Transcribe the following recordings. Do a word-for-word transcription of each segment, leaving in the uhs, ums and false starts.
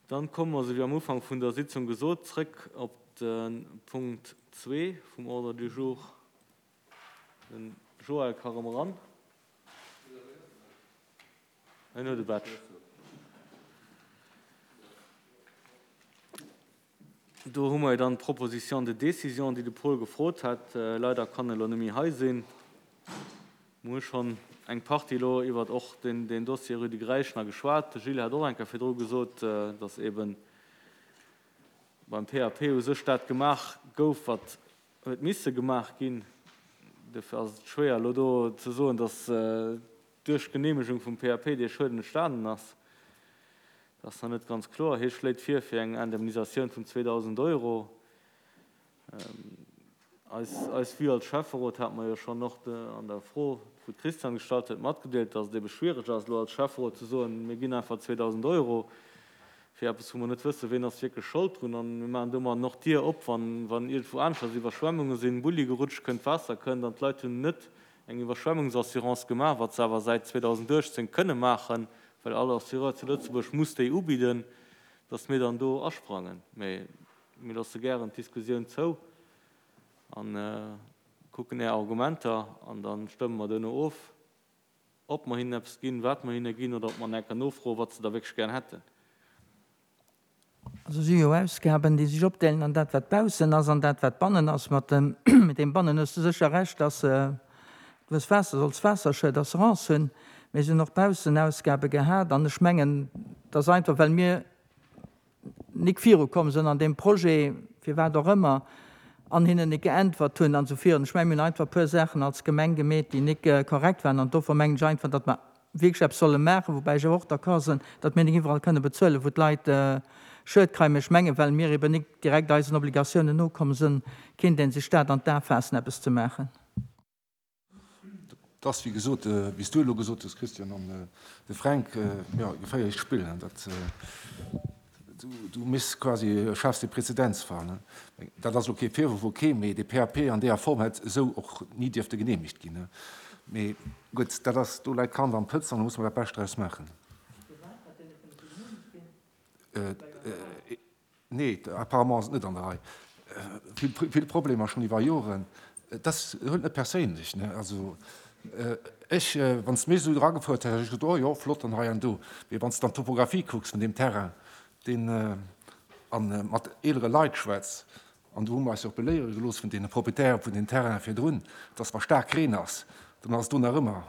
Dann komme mer, esou wéi am Ufank vun der Sitzung gesot, zrëck op de Punkt zwee vum Ordre du jour. Den Joël ka rëm eran. En huet e Badge. Do hu mer jo dann d'Proposition de décision, déi de Paul gefrot hat. Leider kann e lo net méi hei sinn. Mir hu schonn eng Partie elo iwwert och deen Dossier Rue de Gräichner geschwat. De Gilles hat och eng Kéier virdru gesot, datt eebe beim P A P u sech dat gemaach gouf, wat huet misse gemaach ginn. Dofir ass et schwéier elo do ze soen, datt duerch d'Geneemegung vum P A P dee Schueden entstanen ass. Dat ass nach net ganz kloer. Hie schléit vir fir eng Indemnisatioun vun zweedausend Euro. Eis, eis Vue als Schäfferot hat mer jo schonn och an der Fro, wou d'Christiane gestallt huet, matgedeelt, datt et ebe schwiereg ass, elo als Schäfferot ze soen, mir ginn einfach zweedausend Euro fir eppes, wou mer net wëssen, ween ass wierklech Schold drun. An mir maachen domadden och d'Dier op, wann, wann iergendwou aneschters Iwwerschwemmunge sinn, Bulli gerutscht kënnt, Waasser kënnt an d'Leit hunn net eng Iwwerschwemmungsassurance gemaach, wat se awer säit zweedausenduechtzéng kënne maachen, well all Assureur zu Lëtzebuerg muss déi ubidden, datt mir dann do asprangen. Mee mir loosse gären d'Diskussioun zou a kucken Är Argumenter an da stëmme mer duerno of, ob mer hinnen eppes ginn, wat mer hinne ginn oder ob mer enker nofroen, wat se da wierklech gären hätten. Also si jo Ausgaben, déi sech opdeelen an dat, wat baussen ass, an dat, wat bannen ass. Mat dem, mit deem bannen hues de sécher Recht, dass du hues Waasser, solls Waasserschued, Assurance hunn. Mee si hunn och baussen Ausgabe gehat an ech mengen, dass einfach, well mir nik virukomm sinn an deem Projet, firwat och ëmmer, an hinnen nik geäntwert hunn an esou virun. Ech mengen, mir hunn einfach e puer Saachen als Gemeng gemeet, déi nik korrekt waren an dofir mengen ech einfach, datt mer wierklech eppes solle maachen, woubäi ech awer och d'accord sinn, datt mir nik iwwerall kënne bezuelen, wou d'Leit Schued kréien. Mee ech mengen, well mir eben nik direkt eisen Obligatiounen nokomm sinn, kéint ee sech dat an d'A faassen, eppes ze maachen. Et ass, wéi gesot, wéi s du elo gesot hues, Christian, an de Fränk, jo, e geféierlecht Spill. Dat, du misst quasi, schaafs de Präzedenzfall. Dat ass elo kee Virwurf, ok, mee de P A P an deeër Form hätt esou och ni dierfte geneemegt ginn. Mee gutt, dat ass, do läit d'Kand am Pëtz an do musse mer dat Bescht draus maachen. Nee, apparemment ass et net an der Rei. Vill, vill Problemer schonn iwwer Joren. Dat huelt net perséinlech, ne? Also ech, wann s de mech esou eragefouert häss, hätt ech gesot, oh jo, flott an hei an do. Mee wann s de dann d'Topographie kucks vun deem Terrain, deen, a mat eelere Leit schwätz, an do hu mer eis jo och beléiere gelooss vun deene Proprietäre vun den Terrainen virdrun, dass wa staark Reen ass, dann ass et do nach ëmmer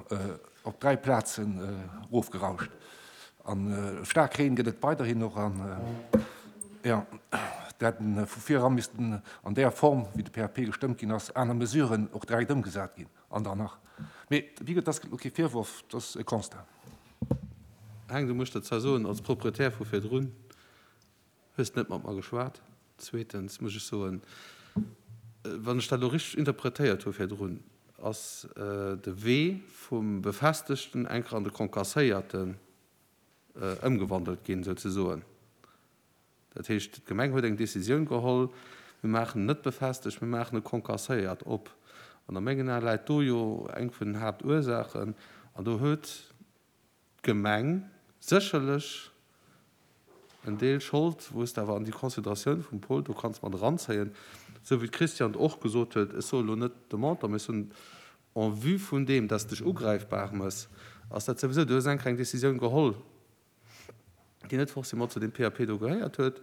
op dräi Plazen erofgerauscht. A staark Reen gëtt et weiderhin och. An jo, dat hätten vu vir eran missten an där Form, wéi de P A P gestëmmt ginn ass, aner Mesuren och direkt ëmgesat ginn an dann nach. Mee wéi gesot, dat ass elo kee Virworf, dat ass e Constat. Heng, du muss der zwar soen, als Proprietär vu virdrun hues de net mat mer geschwat. Zweetens muss ech soen, wann ech dat elo richteg interpretéiert hu virdrun, ass de Wee vum befestegten enker an de concasséierten ëmgewandelt ginn, souzesoen. Dat heescht, d'Gemeng huet eng Décisioun geholl, mir maachen en net befestegt, mir maachen e concasséiert op. An a mengen Ae läit do jo eng vun den Haaptursaachen. An do huet d'Gemeng sécherlech en Deel Schold, wou s de awer an déi Consideratioun vum Paul do kanns mat eranzéien, esou wéi d'Christiane et och gesot huet, ech soe lo net de Montant, mä ech soen en vue vun deem, dass de dech ugräifbar méchs, ass dat souwisou, du hues eng kleng Décisioun geholl, déi net forcément zu deem P A P do gehéiert huet,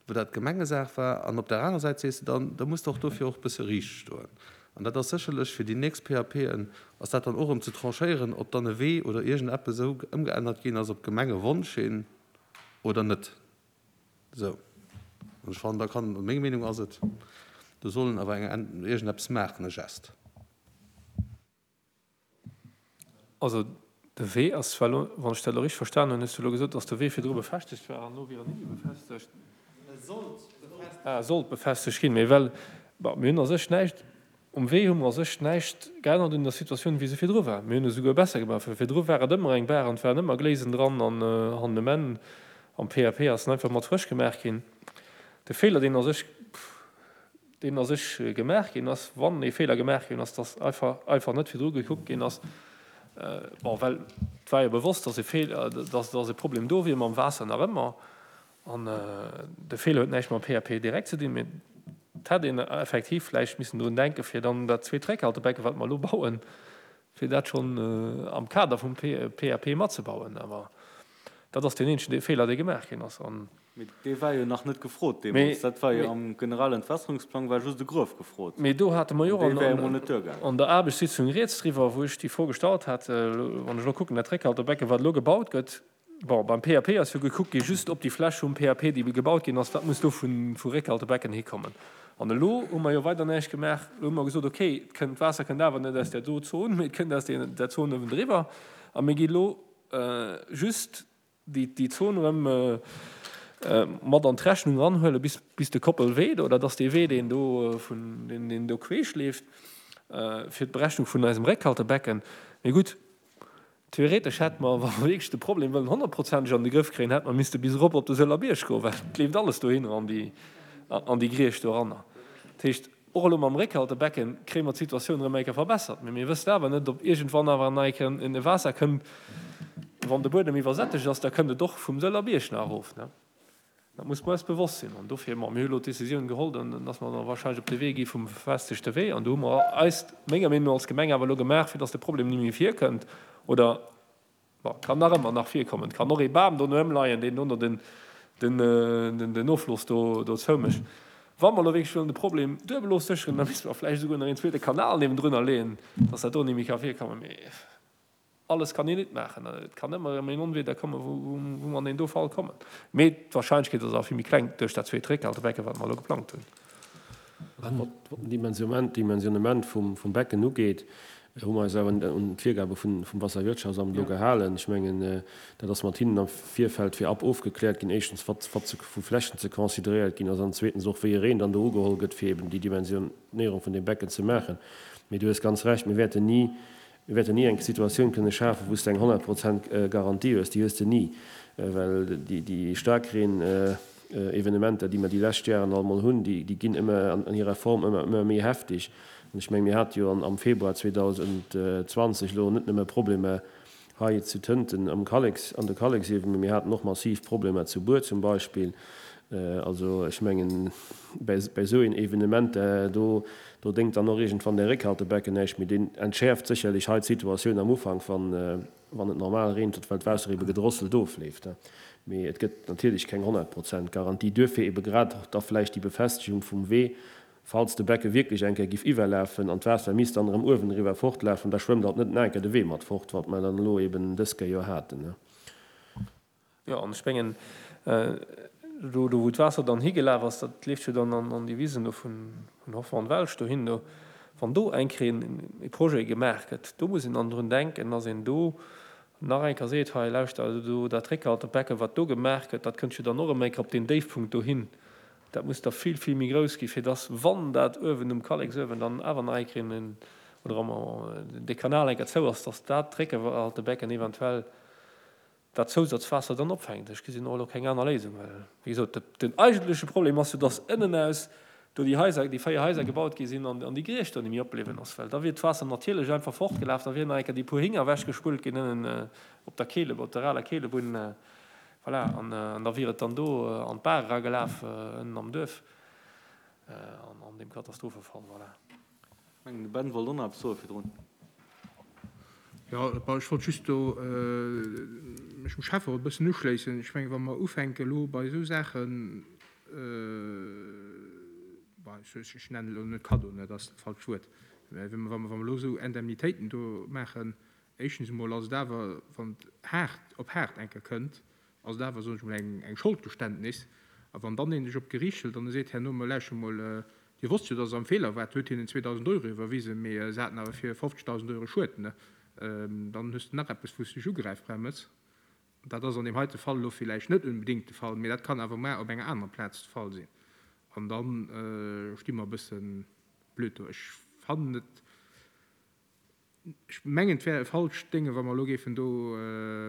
wou dat Gemengesaach war. An op der anerer Säit sees de dann, da muss de och dofir och e bësse riicht stoen. An dat ass sécherlech fir déi nächst P A P'en ass dat dann och erëm ze tranchéieren, ob dann e Wee oder iergendeppes esou ëmgeännert ginn ass op Gemengewonsch hin oder net. Esou. An ech fannen, da kann, meng Meenung ass et, do soll en awer eng, iergendeppes maachen, e Geste. Also de Wee ass zwar elo, wann ech dat elo richteg verstanen hunn, hues du elo gesot, datt de Wee virdru befestegt war an elo wier en net méi befestegt. Ah, sollt befestegt ginn. Mee well, bon, mir hunn a sech näischt, um Wee hu mer a sech näischt geännert un der Situatioun, wéi se virdru war. Mir hunn esouguer besser gemaach, well virdru war et ëmmer eng Baach an et waren ëmmer Gléisen dran an hannen um Enn am P A P ass en einfach mat frësch gemaach ginn. De Feeler, deen a sech, deen a sech gemaach ginn ass, wann ee Feeler gemaach ginn ass, dass einfach, einfach net virdru gekuckt ginn ass, bon, well et war jo bewosst, dass e Feeler, dass, dass e Problem do wier mam Waasser nach ëmmer. An de Feeler huet näischt mam P A P direkt ze dinn, mee et hätt een effektiv vläicht missen drun denken, fir dann dat zweet Réckhaltebecken, wat mer elo bauen, fir dat schonn am Kader vum P A P matzebauen. Awer dat ass deen eenzegen Feeler, dee gemaach ginn ass. An Mee dee war jo nach net gefrot deemools. Dat war jo am Generalentwässerungsplang war just e Gruef gefrot. Mee do hate mer jo Dee wär jo mol net duergaangen. an der Aarbechtssitzung rieds driwwer, wou ech déi Fro gestallt hat, wann ech elo kucken, dat Réckhaltebecken, wat elo gebaut gëtt, bon, beim P A P ass jo gekuckt gi just op déi Fläch vum P A P, déi gebaut ginn ass, wat muss do vu Réckhaltebecken hikommen. An elo hu mer jo weider näischt gemaach. Elo hu mer gesot, okay, et kënnt, d'Waasser kënnt awer net aus där do Zon, mee et kënnt aus där Zon uewendriwwer. A mir gi elo just déi Zon erëm mat an d'Rechnung eranhuelen, bis, bis de Koppelwee do, dat ass dee Wee, deen do vun, deen, deen do queesch leeft, fir d'Berechnung vun eisem Réckhaltebecken. Mee gutt, theoretesch hätt mer, wa mer wierklech de Problem wëllen honnertprozenteg an de Grëff kréien, hätt mer misste bis erop op de Sëller Bierg goen, well et leeft alles dohinner an déi, an déi Griecht doranner. Dat heescht, och elo mam Réckhaltebecken kréie mer d'Situatioun erëm eng Kéier verbessert, mee mir wëssen awer net, ob iergendwann awer nach eng Kéier e Waasser kënnt, wann de Buedem iwwersättegt ass, da kënnt et och vum Sëller Bierg nach erof, ne? Dat muss mer eis bewosst sinn. An dofir, ma mir hu elo d'Décisioun geholl, dann dass mer da wahrscheinlech op de Wee gi vum befestegte Wee. An do hu mer eis, menger Meenung no, als Gemeng awer elo gemaach, fir dass de Problem ni méi virkënnt. Oder, bon, kann nach ëmmer nach virkommen. Et kann och ee Bam do no ëmleien, deen dono den, den, den, den Offloss do, do zoumécht. Wa mer elo wierklech wëllen de Problem duebel ofsécheren, da misste mer vläicht esouguer nach een zweete Kanal niewendrunner leeën, dass dat do ni méi ka virkommen. Mee alles kann een net maachen. Et kann ëmmer erëm een Onwieder kommen, wou, wou, wou mer an deen do Fall kommen. Mee d'Wahrscheinlechkeet ass awer vill méi kleng duerch dat zweet Réckhaltebecken, wat mer elo geplangt hunn. Wat den Dimensionnement vum, vum Becken ugeet, hu mer eis awer un d'Virgabe vun, vum Wasserwirtschaftsamt elo gehalen. Ech mengen, dat ass mat hinnen am Virfeld virab ofgekläert ginn, éischtens, wat, wat ze, vu Flächen ze consideréiert ginn ass, an zweetens och, wéi e Reen dann do ugeholl gëtt, fir eben déi Dimensionéierung vun deem Becken ze maachen. Mee du hues ganz recht, mir wäerten ni, mir wäerten ni eng Situatioun kënne schafen, wou s du eng honnert Prozent Garantie hues. Déi hues de ni, well déi, déi Staarkreen-Evenementer, déi mer déi lescht Jaren all mol hunn, déi, déi ginn ëmmer an, an hirer Form ëmmer, ëmmer méi heftig. An ech meng, mir hate jo an, am Februar zweitausendzwanzeg elo net nëmme Problemer hei zu Tënten am Kalleks, an de Kalleksiewen, mee mir haten och massiv Problemer zu Buer zum Beispill. Also ech mengen, bei, bei esou een Evenement, do, do déngt dann och iergendwann de Réckhaltebecken näischt méi. Deen entschäerft sécherlech hei d'Situatioun am Ufank, wann, wann et normal reent, well d'Waasser ebe gedrosselt ofleeft. Mee et gëtt natierlech keng honnert Prozent Garantie. Duerfir ebe grad da vläicht déi Befestigung vum Wee, falls de Becke wierklech eng Kéier giff iwwerlafen an d'Waasser misst dann erëm uewen eriwwer fortlafen, da schwëmmt alt net nach eng Kéier de Wee mat fort, wat mer dann elo eben dës Kéier jo haten. Jo, an ech mengen, do, do wou d'Waasser dann higelaf ass, dat leeft jo dann an, an déi Wisen do vun, vun Hoffmann Welsch dohin. Do, wann do eng Kéier en, e Projet gemaach gëtt, do muss een dann drun denken, dass een do nach eng Kéier seet, hei, lauschter, also do, dat Réckhaltebecken, wat do gemaach gëtt, dat kënnt jo dann och erëm eng Kéier op deen Déifpunkt dohin. Dat muss da vill, vill méi grouss ginn, fir dass, wann dat uewen um Kalleksuewen dann awer nach eng Kéier en, oder am, de Kanal eng Kéier zou ass, dass dat Réckhaltebecken eventuell dat Zousatzwaasser dann opfänkt. Ech gesinn och elo keng aner Léisung, well, wéi gesot, de, den eigentleche Problem ass jo, dass ënnen aus do déi Haiser, déi véier Haiser gebaut gi sinn an, an déi Griecht do net méi opbliwwen ass, well da wier d'Waasser natierlech einfach fortgelaf, da wieren nach eng Kéier déi puer Hinger ewechgespullt ginn ënnen, äh, op der Keele, op der aler Keelebunn, äh, voilà, an, äh, an da wier et dann do, äh, an d'Bar eragelaf, äh, ënnen am Duerf, äh, an, an dem Katastrophefall, voilà. Ech mengen, de Ben wollt och nach eppes soe virdrun. Ja, bon, ech wollt just do, äh, mech dem Schäfferot e bëssen uschléissen. Ech mengen, wa mer ufänken elo bei esou Saachen, äh, bon, ech, ech, ech nennen elo net Cadeau, ne, dat ass dat falscht Wuert. Mä wa mer, wa mer elo esou Indemnitéiten do maachen, éischtens emol ass et awer, wann et haart op haart eng Kéier kënnt, ass et awer, soen ech mol, eng, eng Scholdgeständnis. A wann dann een sech op d'Geriicht hëlt an e seet, herno, ma lauschter mol, äh, Dir wosst jo, dass se am Feeler war, huet hinnen zweedausend Euro iwwerwisen, mee se haten awer fir fofzegtausend Euro Schued, ne? Dann hues de nach eppes, wou s du dech ugräifbar mëss. Dat ass an deem heite Fall elo villäicht net unbedingt de Fall, mee dat kann awer mar op enger anerer Plaz de Fall sinn. An dann sti mer e bësse blöd do. Ech fannen et, ech mengen, et wär e falscht Dénge, wa mer elo géifen do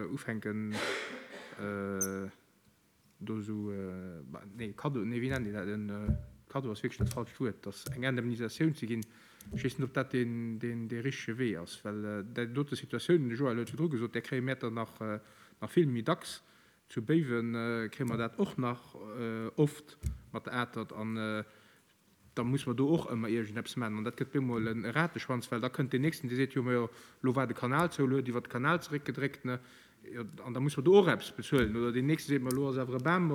ufänken, do esou, nee, Cadeau, nee, wéi nennt een dat, en Cadeau ass wierklech dat falscht Wuert, dass eng Indemnisatioun ze ginn. Ech weess net, ob dat deen, deen, dee richtege Wee ass, well déi dote Situatioun, de Joël huet virdru gesot, där kréie mir der nach, nach vill méi dacks, Zu Béiwen kréie mer dat och nach oft mat der Atert an da muss mer do och ëmmer iergendeppes maachen. An dat gëtt bemol e Rateschwanz, well da kënnt deen Nächsten, dee seet, jo, mä elo war de Kanal zou, elo huet iwwert de Kanal zeréckgedréckt, ne, jo, an da muss mer do och eppes bezuelen. Oder deen Nächste seet, ma elo ass awer e Bam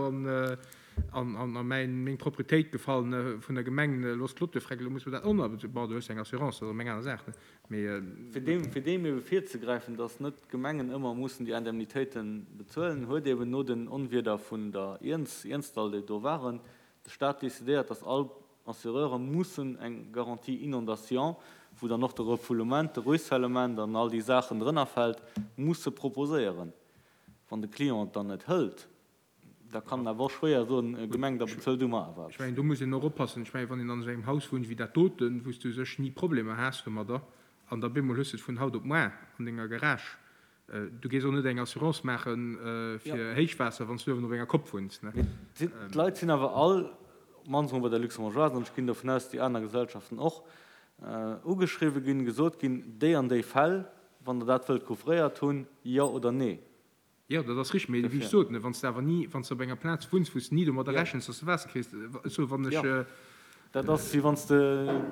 an a mäin, meng Proprietéit gefall, ne, vun der Gemeng, ne, elo ass d'Clôture freck, elo muss mer dat och nach bezuelen. Bon, do hues de eng Assurance, dat ass erëm eng aner Saach, ne, mee. Fir deem, fir deem ebe virzegräifen, dass net d'Gemengen ëmmer mussen déi Indemnitéite bezuelen, huet eben no den Onwieder vun der Iernz, Iernzdall, déi do waren, de Stat decidéiert, dass all Assureure mussen eng Garantie inondation, wou dann och de Refoulement, de Ruissellement an all déi Saachen drënnerfält, musse proposéieren. Wann de Client et dann net hëlt, da kann en awer och schwéier soen, Gemeng, da bezuel du mer awer Ech mengen, do muss een och oppassen. Ech mengen, wann een an esou engem Haus wunnt wéi dat doten, wou s du u sech ni Problemer has domadder, an da bemol hues de et vun haut op moar an denger Garage, Du gees och net eng Assurance maache fir Héichwaasser, wann s du uewen op enger Kopp wunns, ne? Mee d'Leit sinn awer all, op d'mannst emol bei der Luxembourgeoise, an ech ginn dovun aus, déi aner Gesellschaften och, ugeschriwwe ginn, gesot ginn, déi an déi Fäll, wann Der dat wëllt couvréiert hunn, jo oder nee. Jo, dat ass richteg, mee wéi ech sot, wann s de awer ni, wann s de op enger Plaz wunns, wou s de ni domadder rechens, dass de Waasser kriss, ech soe wann ech. Jo, dat ass wéi wann s de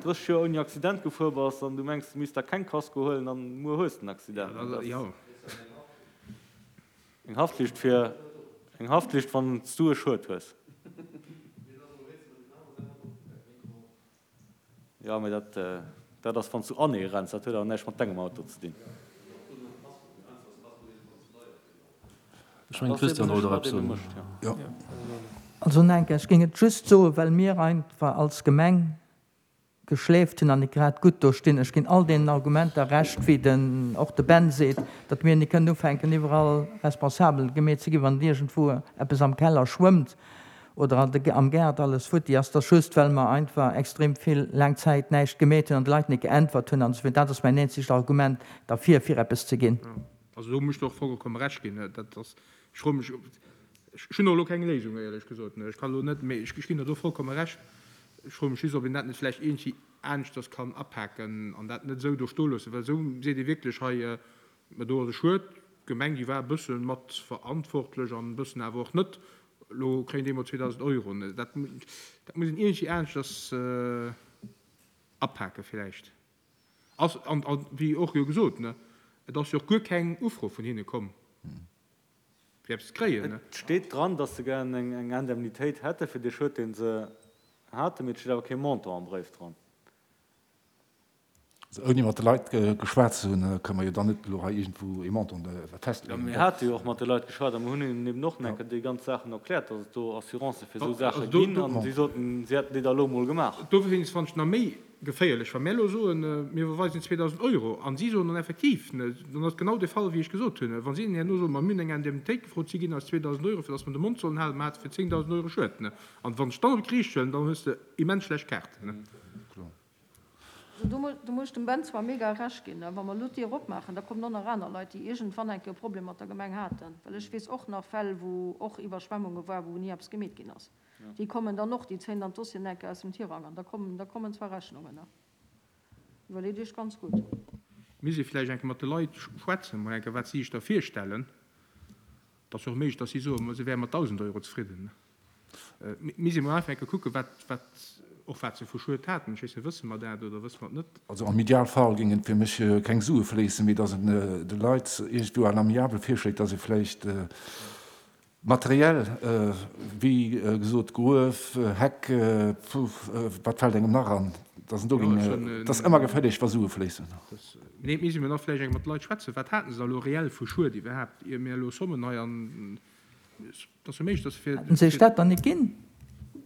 drësseg Joer ouni Accident gefuer bass an du mengs, du misst der keng Kasko huelen an muer hues de en Accident. Dat ass eng Haftflicht fir, eng Haftflicht, wann s du e Schued hues. Jo, mee dat, dat ass, wann s du anee renns. Dat huet awer näischt mat dengem Auto ze dinn. Ech mengen, d'Christiane wollt och eppes soen. Jo. Also Nenke, ech géing et just soen, well mir einfach als Gemeng geschläft hunn an nik grad gutt do stinn. Ech ginn all deenen Argumenter Recht, wéi den och de Ben seet, datt mir nik kënnen ufänken iwwerall responsabel gemeet ze ginn, wann iergendwou eppes am Keller schwëmmt oder an de am Gaart alles futti ass. Dat ass just, well mer einfach extrem vill laang Zäit näischt gemeet hunn an de Leit nik geäntwert hunn an esou weider. Dat ass mäin eenzegt Argument derfir, fir eppes ze ginn. Also do muss ech der och vollkomme Recht ginn. Dat ass, ech froe mech, ech hunn och elo keng Léisung, éierlech gesot. Ech kann elo net, mee ech ginn der do vollkomme Recht. Ech froe mech just, ob een dat net vläicht iergendwéi aneschters kann apaken an dat net esou do stoe loossen, well esou seet ee wierklech hei, mä do ass e Schued, d'Gemeng, déi war e bësse mat verantwortlech an e bëssen awer och net, elo kréien déi emol zweedausend Euro. Dat, dat muss een iergendwéi aneschters apake vläicht. Ass, an, an wéi och jo gesot, ne, et ass jo och guer keng Ufro vun hinne komm, fir eppes ze kréien, ne. Et steet dran, datt se gären eng, eng Indemnitéit hätte fir dee Schued, dee se haten, mee et steet awer kee Montant am Bréif dran. Also ouni mat de Leit geschwat ze hunn, kënne mer jo dann net elo hei iergendwou ee Montant Jo, festleeën. mir hate jo och mat de Leit geschwat a mir hunn hinnen eben och nach eng Kéier déi ganz Saachen erkläert, datt et do Assurancë fir esou Saache ginn, a si soten, si hätten déi da elo emol gemaach. Dowéinst fannen ech nach méi geféierlech, wa mir elo soen, mir iwwerweisen zweedausend Euro, a si soen dann effektiv, dann ass et genau dee Fall, wéi ech gesot hunn, wa si dann herno soen, ma mir hunn eng Indemnitéit gefrot, si ginn eis zweedausend Euro, fir datt mer de Mond sollen halen, mer hate fir zéngdausend Euro Schued. An wann ech dann op d'Geriicht huelen, dann hues de immens schlecht Kaarten. Do muss ech dem Ben zwar mega Recht ginn. Wa mer elo d'Dier opmaachen, da kommen och nach aner Leit, déi iergendwann eng Kéier e Problem mat der Gemeng haten. Well ech weess och nach Fäll, wou och Iwwerschwemmunge waren, wou ni eppes gemeet ginn ass. Déi kommen dann och, déi zéien dann d'Dossieren eng Kéier aus dem Tirang an da kommen, da kommen zwar Rechnungen. Iwwerleet Iech ganz gutt. Misst ee vläicht eng Kéier mat de Leit schwätzen, mol eng Kéier, wat si sech da virstellen. Et ass jo och méiglech, datt si soen, ma si wäre mat dausend Euro zefridden. Misst ee mol einfach eng Kéier kucken, wat, wat, och wat se vu Schued haten. Ech weess net, wësse mer dat oder wësse mer et net? Also am Idealfall géingen fir mech keng Sue fléissen, mee datt een de Leit iergendwou à l'amiable virschléit, datt ee vläicht materiell, wéi gesot, Gruef, Heck, wat fält engem nach an, datt en do géing, et ass ëmmer geféierlech, wa Sue fléissen. Nee, et misst ee mol nach vläicht eng mat de Leit schwätzen, wat haten se da elo reell vu Schued iwwerhaapt, ier mir elo Sommen hei an, et ass jo méiglech, datt se fir. Hätten se iech dat dann net ginn?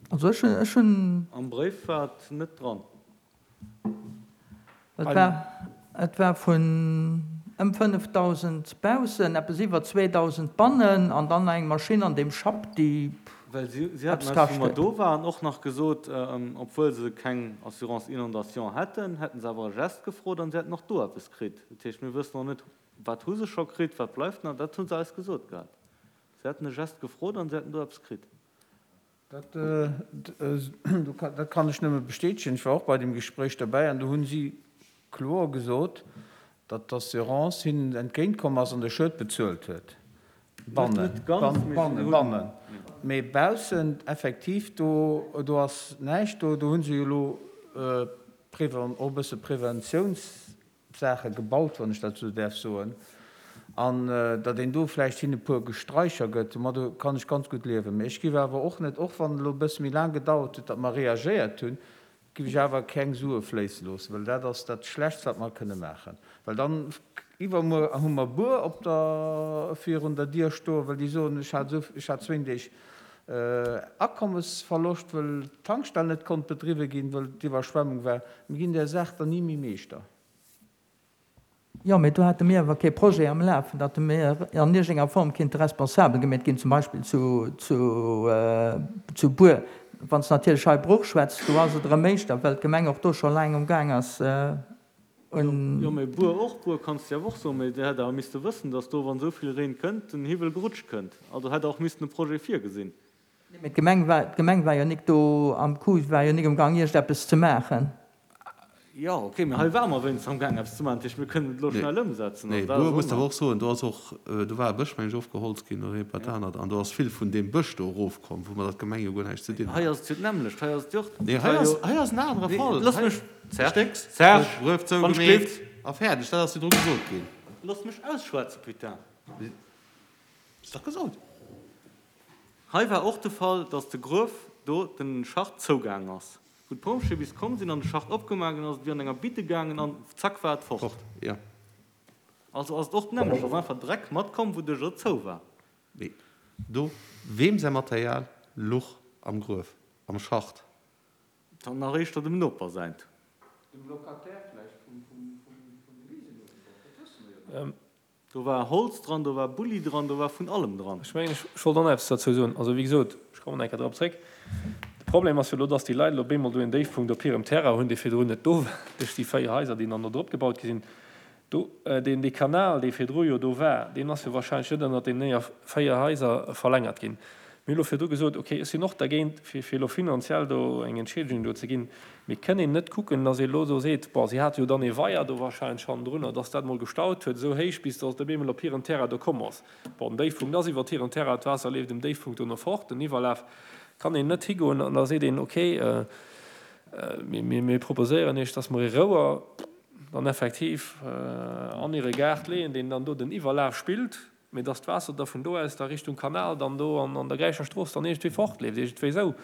Also ech hunn, ech hunn. Am Bréif war et net dran. Et war, et war vun ëm fënnefdausend baussen, eppes iwwer zweedausend bannen an dann nach eng Maschinn an deem Schapp, déi Well si, si haten eppes eis, wou kascht mer huet. do waren, och nach gesot, obwuel se keng Assurance inondation hätten, hätten se awer e Geste gefrot an si hätten och do eppes kritt. Dat heescht, mir wëssen och net, wat hu se scho kritt, wat bleift nach. Dat hu se eis gesot gehat. Se hätten e Geste gefrot an se hätten do eppes kritt. Dat kann ech nëmme bestätegen. Ech war och bei deem Gespréich derbäi an do hu si kloer gesot, datt d'Assurance hinnen entgéintkomm ass an de Schued bezuelt huet. Bannen, bannen, bannen. Mee baussen effektiv, do, do ass näischt. Do, do hu se jo elo och e bësse Preventiounssaache gebaut, wann ech dat esou däerf soen. An datt een do vläicht hinne e puer Gestraicher gëtt, domat kann ech ganz gutt liewen. Mee ech géif awer och net, och wann et elo e bësse méi laang gedauert huet, datt mer reagéiert hunn, géif ech awer keng Sue fléisse loossen, well dat ass dat Schlechtst, wat mer kënne maachen. Well dann iwwermuer hu mer Buer op der, virun der Dier stoen, well déi soen, ech hat esou, ech hat zwéin Deeg Akommesverloscht, well d'Tankstell net konnt bedriwwe ginn, well d'Iwwerschwemmung war. Mir ginn där Saach dann ni méi Meeschter. Jo, mee do hate mir awer kee Projet am Lafen, datt mir an iergendenger Form kinnte responsabel gemeet ginn, zum Beispill zu, zu, zu Buer. Wann s de natierlech hei Bruch schwätz, do ass et erëm éischter, well d'Gemeng och do scho laang umgaang ass un. Jo, mee Buer och, Buer kanns de awer och soen, mee Dir hätt awer misste wëssen, datt do, wann esou vill Reen kënnt, den Hiwwel gerutscht kënnt. Also hätt Der och missten e Projet virgesinn. Nee, mee d'Gemeng war, d'Gemeng war jo nik do am Coup, war jo nik umgaang iergendeppes ze maachen. Jo, ok, mee hei ware mer wéinstens amgaang eppes ze maachen, dat heescht mir kënnen et elo schnell ëmsetzen. Nee, Buer muss awer och soen, do ass och, do war e Bësch, meng ech, ofgeholzt ginn oder iergendwat anert, an do ass vill vun deem Bësch do erofkomm, woumat dat d'Gemeng jo guer näischt ze dinn hat. Hei ass et jo d'nämmlecht, hei ass et jo och. Nee, hei ass, hei ass en anere Fall. Looss mech, Serge, Stécks, Serge, Gruef wann ech zougemeet gleeft. a fäerdeg, dat ass virdru gesot ginn. Looss mech ausschwätzen, putain. Ass dach gesot. Hei war och de Fall, dass de Gruef do den Schacht zougaang ass. Wou d'Pompjeeë bis komm sinn an de Schacht opgemaach hunn, ass et wéi an enger Bidde gaangen an zack war et fort. Fort, jo. Also ass et och d'nämmlecht, ass einfach Dreck matkomm, wouduerch et zou war. Mee do, weem säi Material luch am Gruef, am Schacht? Dann nach éischter dem Noper säint. Dem Locataire vläicht vum de Wisen uewen drop, dat wësse mer jo net. Do war Holz dran, do war Bulli dran, do war vun allem dran. Ech mengen, ech wollt och nach eppes derzou soen. Also, wéi gesot, ech kommen nach eng Kéier drop zréck. De Problem ass jo elo, dass déi Leit elo op eemol do en Déifpunkt op hirem Terrain hunn, dee virdrun net do war, duerch déi véier Haiser, déi dann do drop gebaut gi sinn. Do, deen, dee Kanal, dee virdru jo do war, deen ass jo wahrscheinlech net ënnert deenen néier, véier Haiser verlängert ginn. Mir hu lo virdru gesot, okay, ech sinn och dergéint, fir fir elo finanziell do eng Entschiedegung do ze ginn, mee kënn een net kucken, datt ee elo do seet, bon, si hate jo dann ee Weier do wahrscheinlech hannendrunner, datt dat emol gestaut huet esou héich, bis datt et op eemol op hiren Terrain do komm ass. Bon, den Déifpunkt ass iwwert hiren Terrain, d'Waasser leeft um Déifpunkt dono fort, den Iwwerlaf. Kann een net higoen an da seet een, okay, mir mir proposéieren Iech, datt mer ee Rouer dann effektiv an hire Gaart leeën, deen dann do den Iwwerlaf spillt, Mee dass d'Waasser da vun do aus da Richtung Kanal dann do an an der Gräicher Strooss dann iergendwéi fortleeft, iergendwéi esou,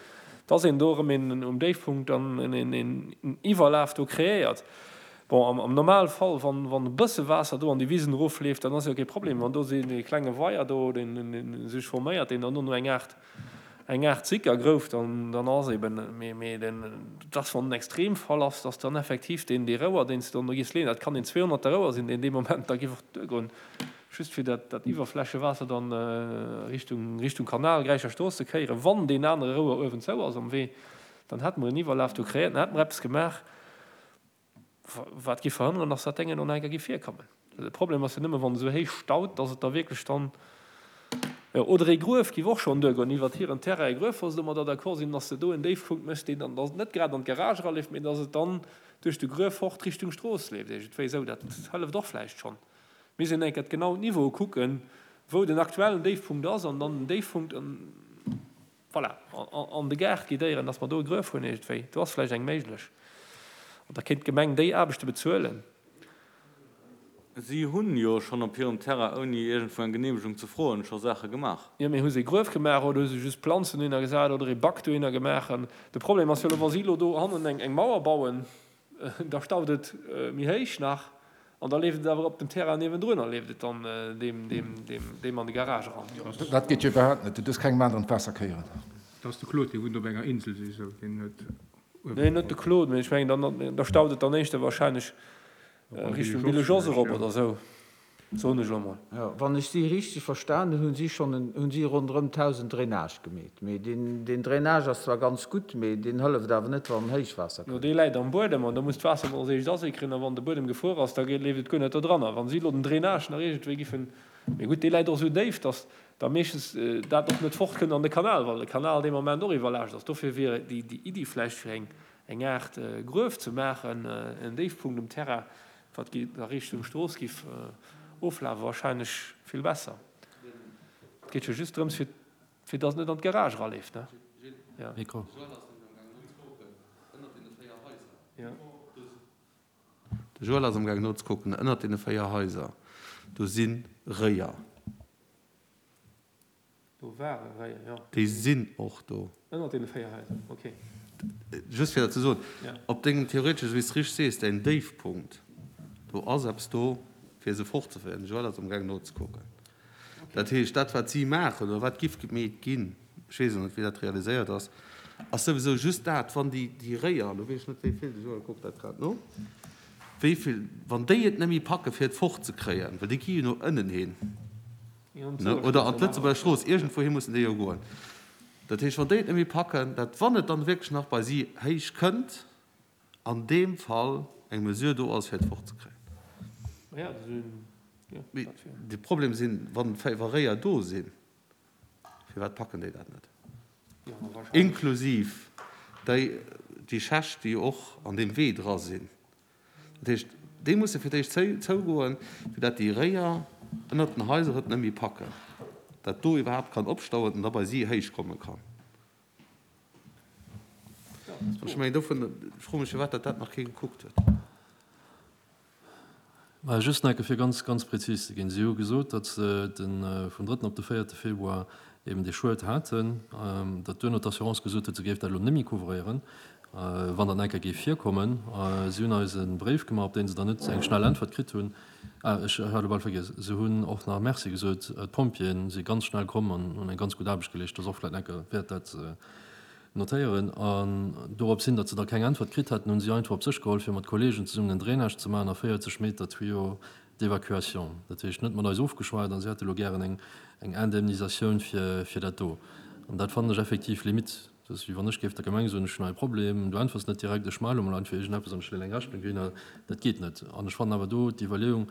dass een do erëm een um Déifpunkt dann en en Iwwerlaf do kreéiert. Bon, am am Normalfall, wann wann e bësse Waasser do an déi Wisen erofleeft, dann ass jo kee Problem. Wann do esou ee klenge Weier do, deen deen sech forméiert, deen dann do no eng Aart eng Aart Sicker grouft, dann dann ass eben, mee mee den dass wann en Extremfall ass, dass dann effektiv deen dee Rouer, deen s de dann do giffs leeën, dat kann een zweehonnerter Rouer sinn, deen dee Moment da giff och duergoen, just fir dat dat Iwwerflächewaasser dann Richtung Richtung Kanal, Gräicher Strooss ze kéieren, wann deen anere Rouer uewen zou ass am Wee, dann hätte mer en Iwwerlaf do kreéiert, dann hätte mer eppes gemaach, wat giff verhënneren, dass dat Déngen och nach eng Kéier giff virkommen. De Problem ass jo nëmme wann et esou héich staut, dass et da wierklech dann, jo, oder ee Gruef giff och schonn duergoen, iwwert hiren Terrain e Gruef, wa se domadder d'accord sinn, dass de do en Déifpunkt méchs, deen dann, dass et net grad an d'Garage eraleeft, mee dass et dann duerch de Gruef fort Richtung Strooss leeft iergendwéi esou. Dat hëlleft och vläicht schonn. Mir sinn eng Kéier genau d'Niveaue kucken, wou den aktuellen Déifpunkt ass an dann den Déifpunkt, voilà, an de Gaart guidéieren, dass mer do e Gruef hunn iergendwéi. Do ass vläicht eng méiglech. An da kéint d'Gemeng déi Aarbechte bezuelen. Si hunn jo schonn op hirem Terrain, ouni iergendwou eng Geneemegung ze froen, scho Saache gemaach. Jo, mee hu se e Gruef gemaach oder hu se just Planzen dohinner gesat oder ee Bac dohinner gemaach? An de Problem ass jo elo, wa si elo do hannen eng Mauer bauen, da staut et méi héich nach an da leeft et awer op dem Terrain niewendrun a leeft et dann deem, deem, deem, deem an de Garage eran. Dat geet jo iwwerhaapt net. Du duerfs kengem aneren d'Waasser kéieren. Dat ass de Claude, dee wunnt op enger Insel, si sou, deen huet uewen. Nee, net de Claude, mee ech mengen, dann, da staut et dann éischter wahrscheinlech Richtung Bille-Jos erop oder sou, soen ech elo mol. Jo, wann ech si richteg verstanen hunn, hunn si schonn en, hunn si ronderëm tausend Drainage gemeet. Mee deen, deen Drainage ass zwar ganz gutt, mee deen hëlleft awer net, wann Héichwaasser Jo, kënnt. dee läit am Buedem an da muss d'Waasser mol als éischt asickeren a wann de Buedem gefruer ass, da geet, leeft et guer net do dran. A wann si elo den Drainage nach iergendwéi giffen, mee gutt, dee läit och esou déif, datt da meeschtens dat och net fort kënnt an de Kanal, well de Kanal dee Moment och iwwerlaascht ass. Dofir wier déi, déi Iddi vläicht fir eng, eng Aart Gruef ze maachen, en Déifpunkt um Terrain, wat a Richtung Strooss giff oflafen, wahrscheinlech vill besser. geet jo just drëms, fir, fir dass et net an d'Garage eraleeft, ne? Ja. Mikro. De Joël ass amgaang nozekucken. Ënnert deene véier Haiser, do si Réier. Do ware Réier, jo. Déi sinn och do. Ënnert deene véier Haiser, ok. Just fir dat ze soen, op dengem theoretesch, wéi s de richteg sees, däin Déifpunkt, do ass eppes do, fir se fortzeféieren. De Joël ass amgaang nozekucken. Dat heescht, dat wat si maachen oder wat giff gemeet ginn, ech weess elo net, wéi dat realiséiert ass, ass souwisou just dat, wann déi, déi Réier, elo weess ech net, wéi vill, de Joël kuckt dat grad no, wéi vill, wann déi et net méi packen, fir et fortzekréien, well déi gi jo no ënnen hin, ne, oder an d'Lëtzebuerger Strooss, iergendwouhi mussen déi jo goen. Dat heescht, wann déi et net méi packen, dat, wann et dann wierklech nach bei si héich kënnt, an deem Fall eng Mesure do ass, fir et fortzekréien. Mee de Problem sinn, wann wa Réier do sinn, firwat packen déi dat net? Inklusiv déi, déi Schächt, déi och an deem Wee dra sinn. Dat heescht, déi musse fir d'éischt zougoen, fir dat déi Réier ënnert den Haiser et net méi packen, dat do iwwerhaapt kann opstauen an da bei si héich komme kann. An ech mengen, dovun, ech froe mech, firwat dat dat nach kee gekuckt huet. Mä just nach eng Kéier, fir ganz, ganz prezis ze ginn, Si hu gesot, datt se de vum drëtten op de véierte Februar eben dee Schued haten, datt duerno d'Assurance gesot huet, se géif dat elo net méi couvréieren, wann dat nach eng Kéier géif virkommen. Si hunn eis e Bréif gemaach, op dee se dann net eng schnell Äntwert kritt hunn. Ah, ech hat elo bal vergiess, se hunn och nach Merci gesot. D'Pompjeeë si ganz schnell komm an hunn eng ganz gutt Aarbecht geleescht. Dat ass och vläicht nach eng Kéier wäert, dat ze notéieren. An dorops hin, datt se da keng Äntwert kritt haten, hunn si einfach op sech geholl, fir mat Kolleegen zesummen en Drainage ze maachen a véierzeg Meter Tuyau d'évacuation. Dat heescht, net mat eis ofgeschwat a si hätte elo gären eng eng Indemnisatioun fir fir dat do. An dat fannen ech effektiv limite. Dat ass wéi wann ech géif der Gemeng soen, ech hunn hei e Problem, du äntwers net direkt, ech maache elo mol einfach iergendeppes an ech stellen eng Rechnung dohinner. Dat geet net. An ech fannen awer do d'Iwwerleeung,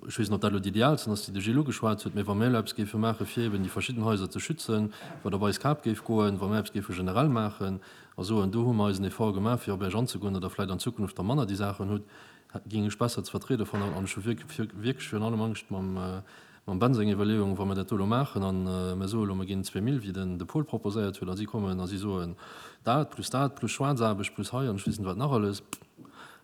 ech weess net, ob dat elo déi idealsten ass, déi de Gilles ugeschwat huet, mä wa mir elo eppes géife maache fir eben déi verschidden Haiser ze schützen, wat op eis Kap géif goen, wa mir eppes géife generell maachen a soen, do hu mer eisen Effort gemaach fir op Iech anzegoen, datt Der vläicht an Zukunft da manner déi Saachen hutt, géing ech besser ze vertriede fannen. An ech hu wierklech virun allem Angscht mam Ben seng Iwwerleeung, wa mir dat do elo maachen a mir soe elo, mir ginn zwee Mille, wéi den de Paul proposéiert huet, a si kommen a si soen dat plus dat plus Schwaarzaarbecht plus hei an ech weess net wat nach alles,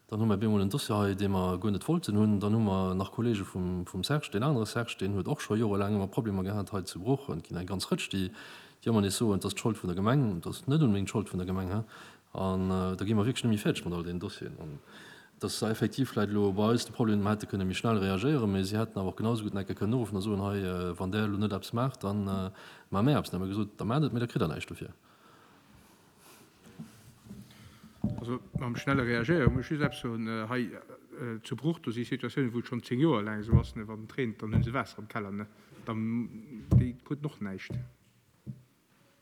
Dann hu mer bemol en Dossier hei, dee mer guer net wollten hunn. Dann hu mer nach Kollege vum, vum Serge, deen anere Serge, deen huet och scho jorelaang ëmmer Problemer gehat hei zu Bruch. An et ginn eng ganz Rëtsch, déi, déi ëmmer nees soen, et ass d'Schold vun der Gemeng. Et ass net onbedéngt d'Schold vun der Gemeng, hä? An da gi mer wierklech net méi fäerdeg mat all deenen Dossieren. An et ass effektiv vläicht elo bei eis de Problem, mer hätte kënne méi schnell reagéieren, mä si hätten awer och genau esou gutt nach eng Kéier kënnen uruffen a soen, hei, wann Der elo net eppes maacht, da maache mär eppes. Dann hu mer gesot, da maacht et, mä da kritt Der näischt dofir. Also mam schnelle Reagéiere muss ech just eppes soen, hei zu Bruch, do si Situatiounen, wou et schonn zéng Joer laang esou ass, ne, wann et reent, dann hu se Waasser am Keller, ne, dann, déi kruten och näischt.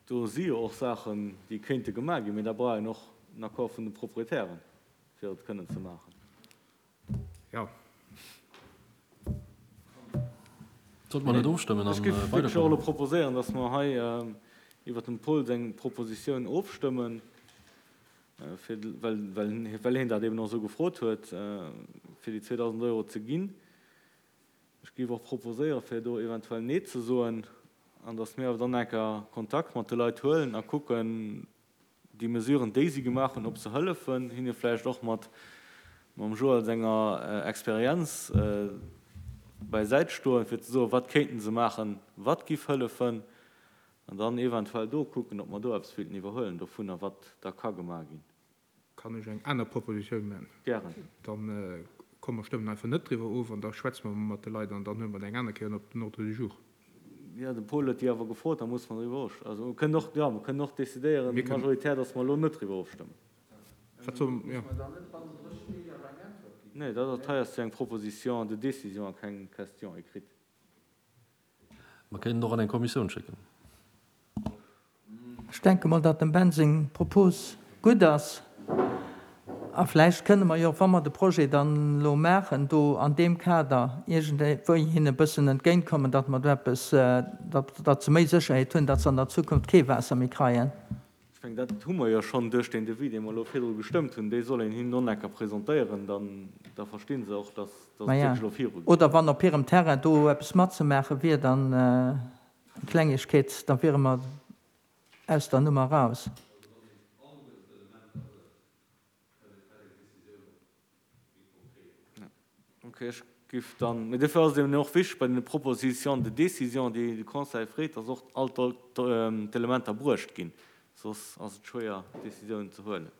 Do si jo och Saachen, déi kéinte gemaach ginn, mee da brauch een och den Accord vun de Proprietären, fir et kënnen ze maachen. Jo. Sollte mer net ofstëmmen Ech an géif wierklech och weiderkommen? elo proposéieren, dass mer hei iwwert dem Paul seng Propositioun ofstëmmen, fir, well, well, well hien dat eben och esou gefrot huet, fir déi zweedausend Euro ze ginn. Ech géif och proposéieren, fir do eventuell Nee ze soen an dass mir awer dann eng Kéier Kontakt mat de Leit huelen a kucken, déi Mesuren, déi si gemaach hunn, ob se hëllefen, hinne vläicht och mat mam Joël senger Experienz bäisäit stoen, fir ze soen, wat kéinten se maachen, wat giff hëllefen, an dann eventuell do kucken, ob mer do eppes wéilten iwwerhuelen dovunner, wat da ka gemaach ginn. Kann ech eng aner Propositioun maachen? Gären. Dann komm, mer stëmmen einfach net driwwer of an da schwätze mer mat de Leit an dann huele mer et eng aner Kéier op den Ordre du jour. Jo, de Paul huet déi awer gefrot, da musse mer driwwer ofstëmmen. Also mer kënnen och, jo, mer kënnen och decidéieren, majoritär, datt mer elo net driwwer ofstëmmen. Wat soll, jo. Nee, dat ass, hei ass jo eng Proposition de décision a keng Question écrite. Mer kéinten och an eng Kommissioun schécken. Ech denke mol, datt dem Ben seng Propos gutt ass. A vläicht kënne mer jo, wa mer de Projet dann elo maachen, do an deem Kader iergendwéi hinne e bëssen entgéintkommen, datt mer do eppes, datt, datt se méi Sécherheet hunn, datt se an der Zukunft kee Waasser méi kreien. Ech mengen, dat hu mer jo schonn duerch deen Devis, dee mer elo virdru gestëmmt hunn. Dee soll een hinnen onecker presentéieren, dann, da versti se och, datt, datt et Maja, wierklech elo virugeet. oder wann op hirem Terrain do eppes matzemaache wier, dann. Klengegkeet, da wiere mer aus der Nummer raus. Ok, ech giff dann, mee dofir ass et eben och wichteg bei den Propositions de décision, déi de Conseil freet, dass och all d'Elementer bruecht ginn, soss ass et schwéier Décisiounen ze huelen.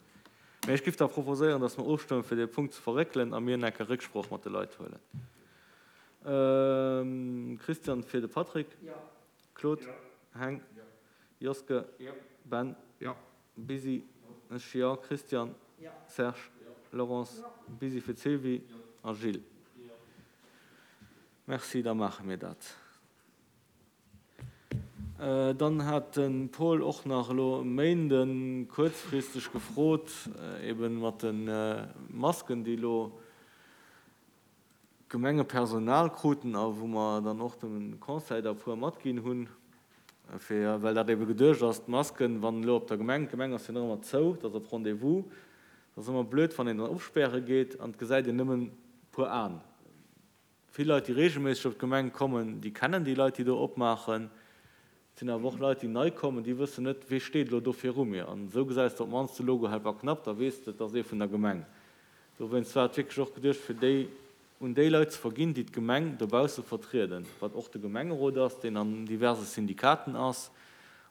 Mee ech giff da proposéieren, dass mer ofstëmmen, fir dee Punkt ze verréckelen a mir enker Récksproch mat de Leit huelen. Christian fir de Patrick. Claude. Heng. Joske. Ben. Busy. Ech, jo. Christian. Serge. Laurence. Busy fir d'Sylvie a Gilles. Merci, da maache mir dat. Dann hat de Paul och nach elo e Méinde kuerzfristeg gefrot, ebe mat de Masken, déi elo d'Gemengepersonal kruten a wou mer dann och dem Conseil der e puer matginn hunn, fir, well dat ebe geduecht ass, d'Masken, wann elo op der Gemeng, d'Gemeng ass jo nach ëmmer zou, dat ass op Rendez-vous, dat ass ëmmer blöd, wann een dann opspäre geet an et gesäit een nëmmen e puer Aen. Vill Leit, déi reegelméisseg op d'Gemeng kommen, déi kennen déi Leit, déi do opmaachen. Et sinn awer och Leit, déi nei kommen, déi wëssen net, wee steet elo do viru mir. An esou gesäis de op d'mannst de Logo Helperknapp, da weess de, et ass ee vun der Gemeng. Dowéinst war et wierklech och geduecht, fir déi un déi Leit ze verginn, déi d'Gemeng dobausse vertrieden, wat och de Gemengerot ass, deen an diverse Syndikaten ass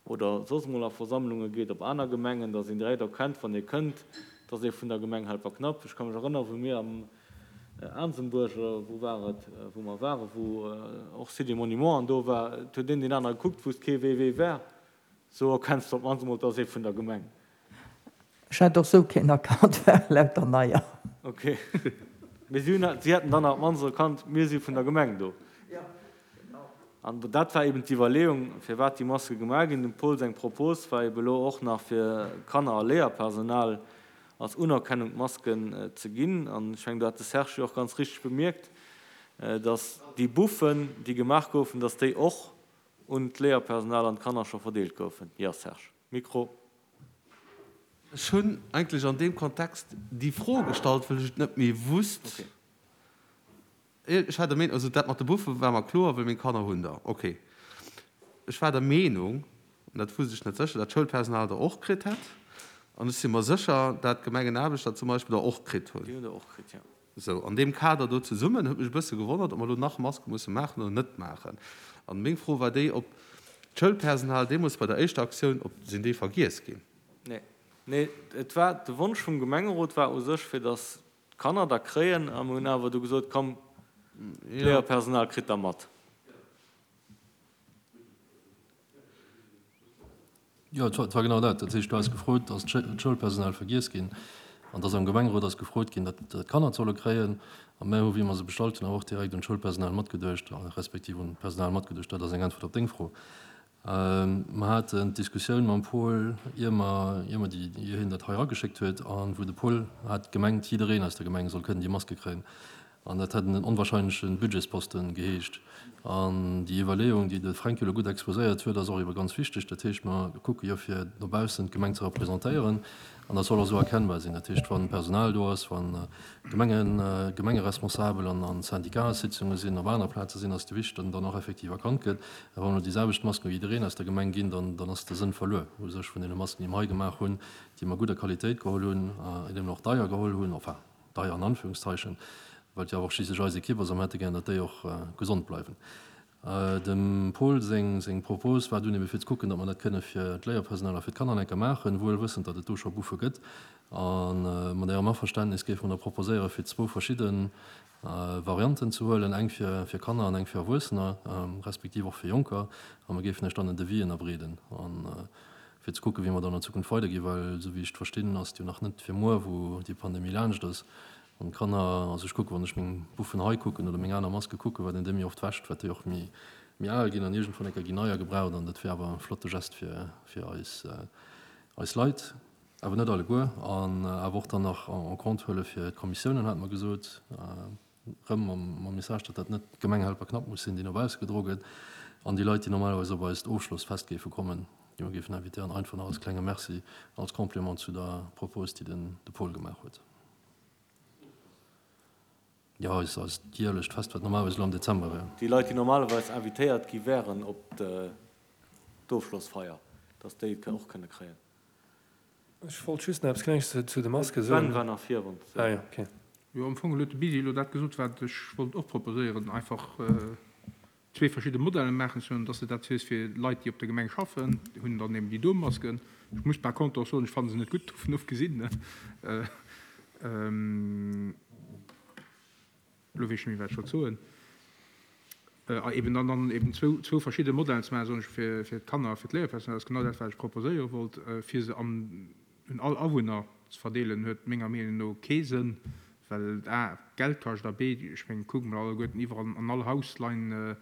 oder soss emol a Versammlunge geet op aner Gemengen, dass een direkt erkennt, wann ee kënnt, dass ee vun der Gemeng Helperknapp. Ech ka mech erënneren, wou mir am Aansembuerg, oder wou war et, wou mer waren, wou och Site des Monuments an do war, et huet een deen anere gekuckt, wousst kee wee wee war. Sou erkenns de op d'mannst emol, et ass ee vun der Gemeng. Ech hätt och sou keen erkannt, war lauter Neier. Ok. Mee si hunn, si hätten dann op d'mannst erkannt, mir si vun der Gemeng do. An dat war eben d'Iwwerleeung, firwat déi Maske gemaach ginn. Dem Paul seng Propos war eben elo och nach fir Kanner a Léierpersonal als Unerkennung d'Masken ze ginn. An ech mengen, do hat de Serge jo och ganz richteg bemierkt, datt déi Buffen, déi gemaach goufen, datt déi och un d'Léierpersonal an d'Kanner scho verdeelt goufen. Jo, Serge. Mikro. Ech hunn eigentlech an deem Kontext déi Fro gestallt, well ech et net méi wusst. Ech war der Meenung, also dat mat de Buffe war mer kloer, well meng Kanner hunn der, okay. Ech war der Meenung, an dat wusst ech net sécher, dat d'Schoulpersonal der och kritt hätt. An ech si mer sécher, dat d'Gemengenaarbechter zum Beispill der och kritt hunn. Déi hunn der och kritt, jo. Sou, an deem Kader do zesummen huet mech e bësse gewonnert, ob mer elo nach Maske musse maachen oder net maachen. An meng Fro war déi, ob d'Schoulpersonal deemools bei der éischter Aktioun, ob sinn déi vergiess ginn? Nee, nee, et war, de Wonsch vum Gemengerot war u sech, fir datt d'Kanner der kréien, a mir hunn awer du gesot, komm, d'Léierpersonal kritt der mat. Jo, et war genau dat. Dat heescht, du has gefrot, ass d'Schoulpersonal vergiess ginn? An et ass am Gemengerot ass gefrot ginn, datt d'Kanner et solle kréien. A mär hu, wéi mer se bestallt hunn, awer och direkt un d'Schoulpersonal matgeduecht, respektiv un d'Personal matgeduecht. Dat ass eng Äntwert op deng Fro. Mer haten d'Diskussioun mam Paul, ier mer, ier mer déi, ier hien dat hei erageschéckt huet, a wou de Paul hat gemengt, jiddereen aus der Gemeng soll kënnen déi Maske kréien. An dat hätt en onwahrscheinleche Budgetsposten geheescht. An déi Iwwerleeung, déi de Fränk jo elo gutt exposéiert huet, ass och ebe ganz wichteg. Dat heescht, mer kucke jo fir no baussen d'Gemeng ze representéieren an dat soll och esou erkennbar sinn. Dat heescht, wa Personal do ass, wa Gemengen, Gemengeresponsabel an a Syndicatssitzunge sinn, op aner Plaze sinn, ass et wichteg, datt en dann och effektiv erkannt gëtt. A wa mer elo déi selwecht Masken u jiddereen aus der Gemeng ginn, dann, dann ass de Sënn verluer u sech vun deene Masken, déi mer hei gemaach hunn, déi mer gudder Qualitéit geholl hunn, déi mer och deier geholl hunn, enfin deier an Anführungszeichen, well et jo awer och schliisslech eis Ekipp ass a mer hätte gär, datt déi och gesond bleiwen. Dem Paul seng seng Propos war dunn ebe fir ze kucken, datt mer dat kënne fir d'Léierpersonal a fir d'Kanner enker maachen, wuel wëssend, datt et do scho Buffe gëtt. A mat Ärem Averständnis géife mer da proposéiere fir zwou verschidde Varianten ze huelen, eng fir fir Kanner an eng fir Erwuessener, respektiv och fir Jonker. A mer géifen Iech dann en Devis ënnerbreeden a fir ze kucken, wéi mer dann an Zukunft weiderginn, well esou wéi ech et verstinn, ass et jo nach net fir muer, wou déi Pandemie laanscht ass. An d'Kanner, also ech kucken, wann ech meng Buffen hei kucken oder meng aner Maske kucken, wat een déi méi oft wäscht, wat déi och méi méi al ginn an iergendwann eng Kéier ginn neier gebraucht an dat wier awer e flotte Gest fir fir eis eis Leit, awer net alleguer. An awer och dann nach en compte huele fir d'Kommissiounen, hate mer gesot, erëm mam mam Message, datt dat net d'Gemeng Helperknapp muss sinn, déi no bausse gedro gëtt, an déi Leit, déi normalerweis op eist Ofschlossfest géife kommen, déi mer géifen invitéieren, einfach nach als klenge Merci, als Complément zu der Propos, déi den de Paul gemaach huet. Jo, eis eist jäerlecht Fest, wat normalerweis elo am Dezember wär. Déi Leit, déi normalerweis invitéiert gi wären op d'Ofschlossfeier, dass déi et och kënne kréien. Ech wollt just nach eppes Klenges zu de Maske soen. Ben war nach virun. Ah jo, okay. Jo, am Fong huet de Bisi elo dat gesot, wat ech wollt och proposéieren, einfach zwee verschidde Modellen maachen ze hunn, dass de dat hues fir Leit, déi op der Gemeng schaffen, déi hunn dann eben déi do Masken. Ech muss par contre och soen, ech fanne se net gutt, dovun ofgesinn. Elo weess ech net méi, wat ech wollt soen. A eben dann dann eben zwou, zwou verschidde Modellen ze maachen, soen ech, fir, fir d'Kanner a fir d'Léierpersonal. Dat ass genau dat, wat ech proposéiere wollt, fir se an, un all Awunner ze verdeelen, huet menger Meenung no kee Sënn, well et a Geld kascht a b, ech mengen, kucke mer alleguerten, iwwerall an all Haus leien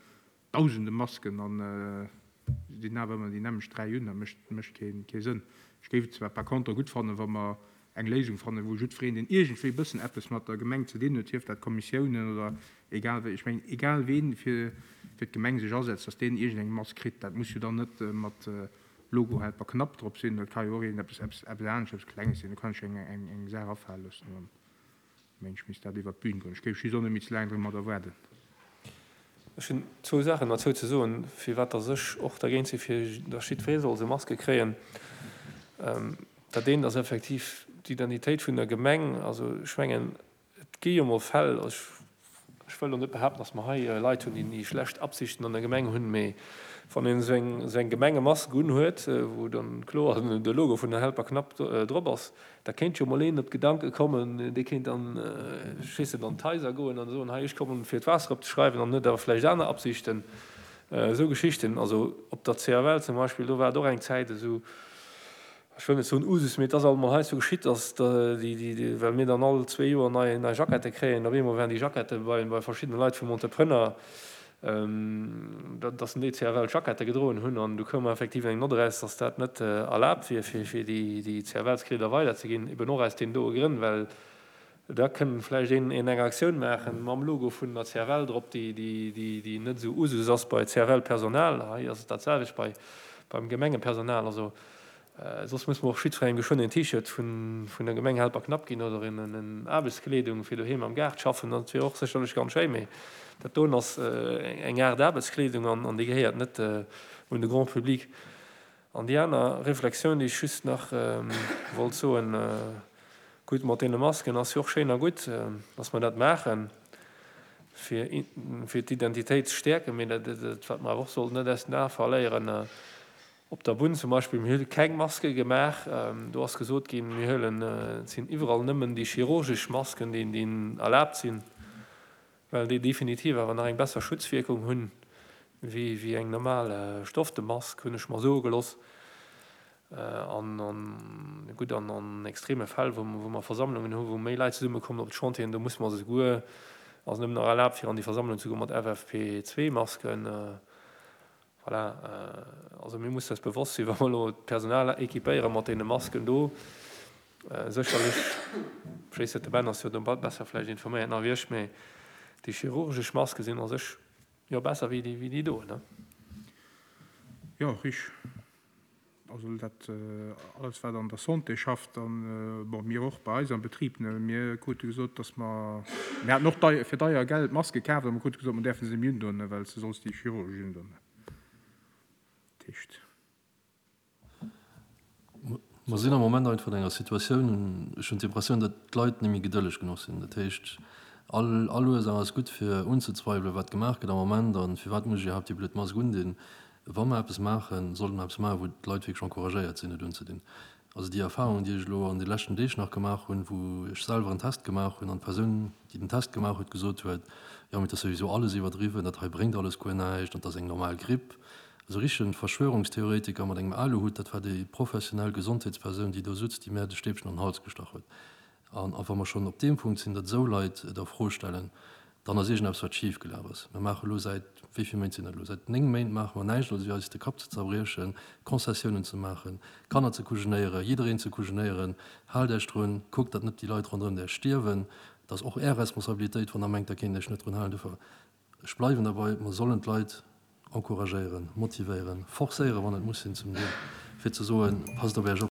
dausende Masken an se dinn awer ëmmer déi nämmlecht dräi un. Dat mécht, mécht kee, kee Sënn. Ech géif et zwar par contre gutt fannen, wa mer eng Léisung fannen, wou jiddwereen, deen iergendwéi e bëssen eppes mat der Gemeng ze dinn huet, sief dat Kommissiounen oder egal wéi, ech mengen, egal ween fir fir d'Gemeng sech asetzt, dass deen iergendeng Mask kritt. Dat muss jo dann net mat Logo Helper Knapp drop sinn, dat ka jo och iergendeppes eppes eppes anescht, eppes Klenges sinn. Do kann ech eng eng eng Saach afale loossen an dann mengen ech, misst dat iwwert d'Bün goen. Ech géif just och net méi ze laang domadder waarden. Ech hunn zwou Saachen derzou ze soen, firwat dass ech och dergéint sinn, fir dass jiddweree soll sou Maske kréien. Dat eent ass effektiv d'Identitéit vun der Gemeng. Also ech mengen, et gi jo mol Fäll, ech wëll elo net behaapten, dass mer hei Leit hunn, déi schlecht Absichten an der Gemeng hunn, mee wann een esou eng, esou eng Gemengemask unhuet, wou dann kloer de Logo vun der Helper Knapp drop ass, da kéint jo mol een op d'Gedanke kommen, dee kéint dann, ech weess net, an d'Haiser goen an soen, hei ech kommen fir d'Waasser opzeschreiwen an huet awer vläicht aner Absichten. Esou Geschichten. Also op der C F L zum Beispill, do war et och eng Zäit esou, ech wëll net soen Usus, mee et ass alt emol heiansdo geschitt, dass déi, déi, well mir dann all zwee Joer nei, nei Jackette kréien, op eemol waren déi Jackette bei, bei verschiddene Leit vum Entrepreneur, dass en déi C F L Jackette gedroen hunn an du koum effektiv eng Nott eraus, dass dat net erlaabt wier, fir, fir déi, déi C F L-Kleeder weiderzeginn, eben och aus deenen doe Grënn, well da kënn vläicht een, een eng Aktioun maachen mam Logo vun der C F L drop, déi, déi, déi, déi net esou Usus ass bei C F L-Personal. Hei ass et dat selwecht bei, beim Gemengepersonal. Also soss muss mer och jiddwerengem geschwënn een T-Shirt vun, vun der Gemeng Helperknapp ginn oder een, en Aarbechtskleedung fir doheem am Gaart schaffen. Dat wier och sécherlech ganz schéin, mee dat doen ass eng Aart Aarbechtskleedung an, an déi gehéiert net un de Grand public. An déi aner Reflexioun, déi ech just nach wollt soen, Gutt, mat deene Masken ass jo och schéin a gutt, dass mer dat maachen, fir, fir d'Identitéit ze stäerken, mee dat, wat mer awer och sollten net aus den Ae verléieren, Op der Bunn zum Beispill, mir hu keng Maske gemaach, do ass gesot ginn, mir huelen, et sinn iwwerall nëmmen déi chirurgesch Masken, déi, déi erlaabt sinn, well déi definitiv awer nach eng besser Schutzwierkung hunn wéi, wéi eng normal Stofftemask, hunn ech mer soe geloss. An, an gutt, an, an extreme Fäll, wou, wou mer Versammlungen hunn, wou méi Leit zesummekommen op de Chantieren, do musse mer souguer, ass nëmmen nach erlaabt, fir an déi Versammlung ze goen mat F F P zwee Masken. Voilà, also mir mussen eis bewosst sinn, wa mer elo d'Personal équipéiere mat deene Masken do, sécherlech, ech weess net, de Ben ass jo do besser vläicht informéiert nach wéi ech, mä déi chirurgesch Maske sinn a sech jo besser wéi déi, wéi déi do, ne? Jo, richteg. Also dat alles, wat an der Santé schafft, an, bon, mir och bei eis am Betrib, ne, mir krute gesot, dass mer, mir haten och deier, fir deier Geld Maske kaf, a mer krute gesot, mer däerfe se net méi undoen, well s de solls déi chirurgesch undoen. Dat heescht. Mer sinn am Moment einfach an enger Situatioun, ech hunn d'Impressioun, datt d'Leit net méi gedëlleg genuch sinn. Dat heescht, all, all Ursaach ass gutt, fir unzezweiwelen, wat gemaach gëtt am Moment a firwat muss ech iwwerhaapt déi blöd Mask undinn. Wa mer eppes maachen, sollte mer eppes maachen, wou d'Leit wierklech encouragéiert sinn, et unzedinn. Also déi Erfahrung, déi ech elo an de leschten Deeg nach gemaach hunn, wou ech selwer en Test gemaach hunn an d'Persoun, déi den Test gemaach huet, gesot huet, jo, mee et ass souwisou alles iwwerdriwwen, dat hei bréngt alles guer näischt an et ass eng normal Gripp. Esou richtegen Verschwörungstheoretiker mat engem Aluhutt, dat war déi professionell Gesondheetspersoun, déi do sutz, déi mär de Stäbchen an den Hals gestach huet. An a wa mer schonn op deem Punkt sinn, datt esou Leit et a Fro stellen, dann ass iergendeppes wat schif gelaf ass. Mir maache elo säit, wéi vill Méint sinn dat elo, säit néng Méint maache mer näischt als wéi eis de Kapp ze zerbriechen, Concessiounen ze maachen, Kanner ze kujenéieren, jiddereen ze kujenéieren, haalt Iech drun, kuckt datt net déi Leit ronderëm Iech stierwen, et ass och Är Responsabilitéit wann Der mengt Der kéint Iech net drun halen. Dofir, ech bleiwen derbei, mer sollen d'Leit encouragéieren, motivéieren, forcéieren, wann et muss sinn zum Deel, fir ze soen, passt op Iech op.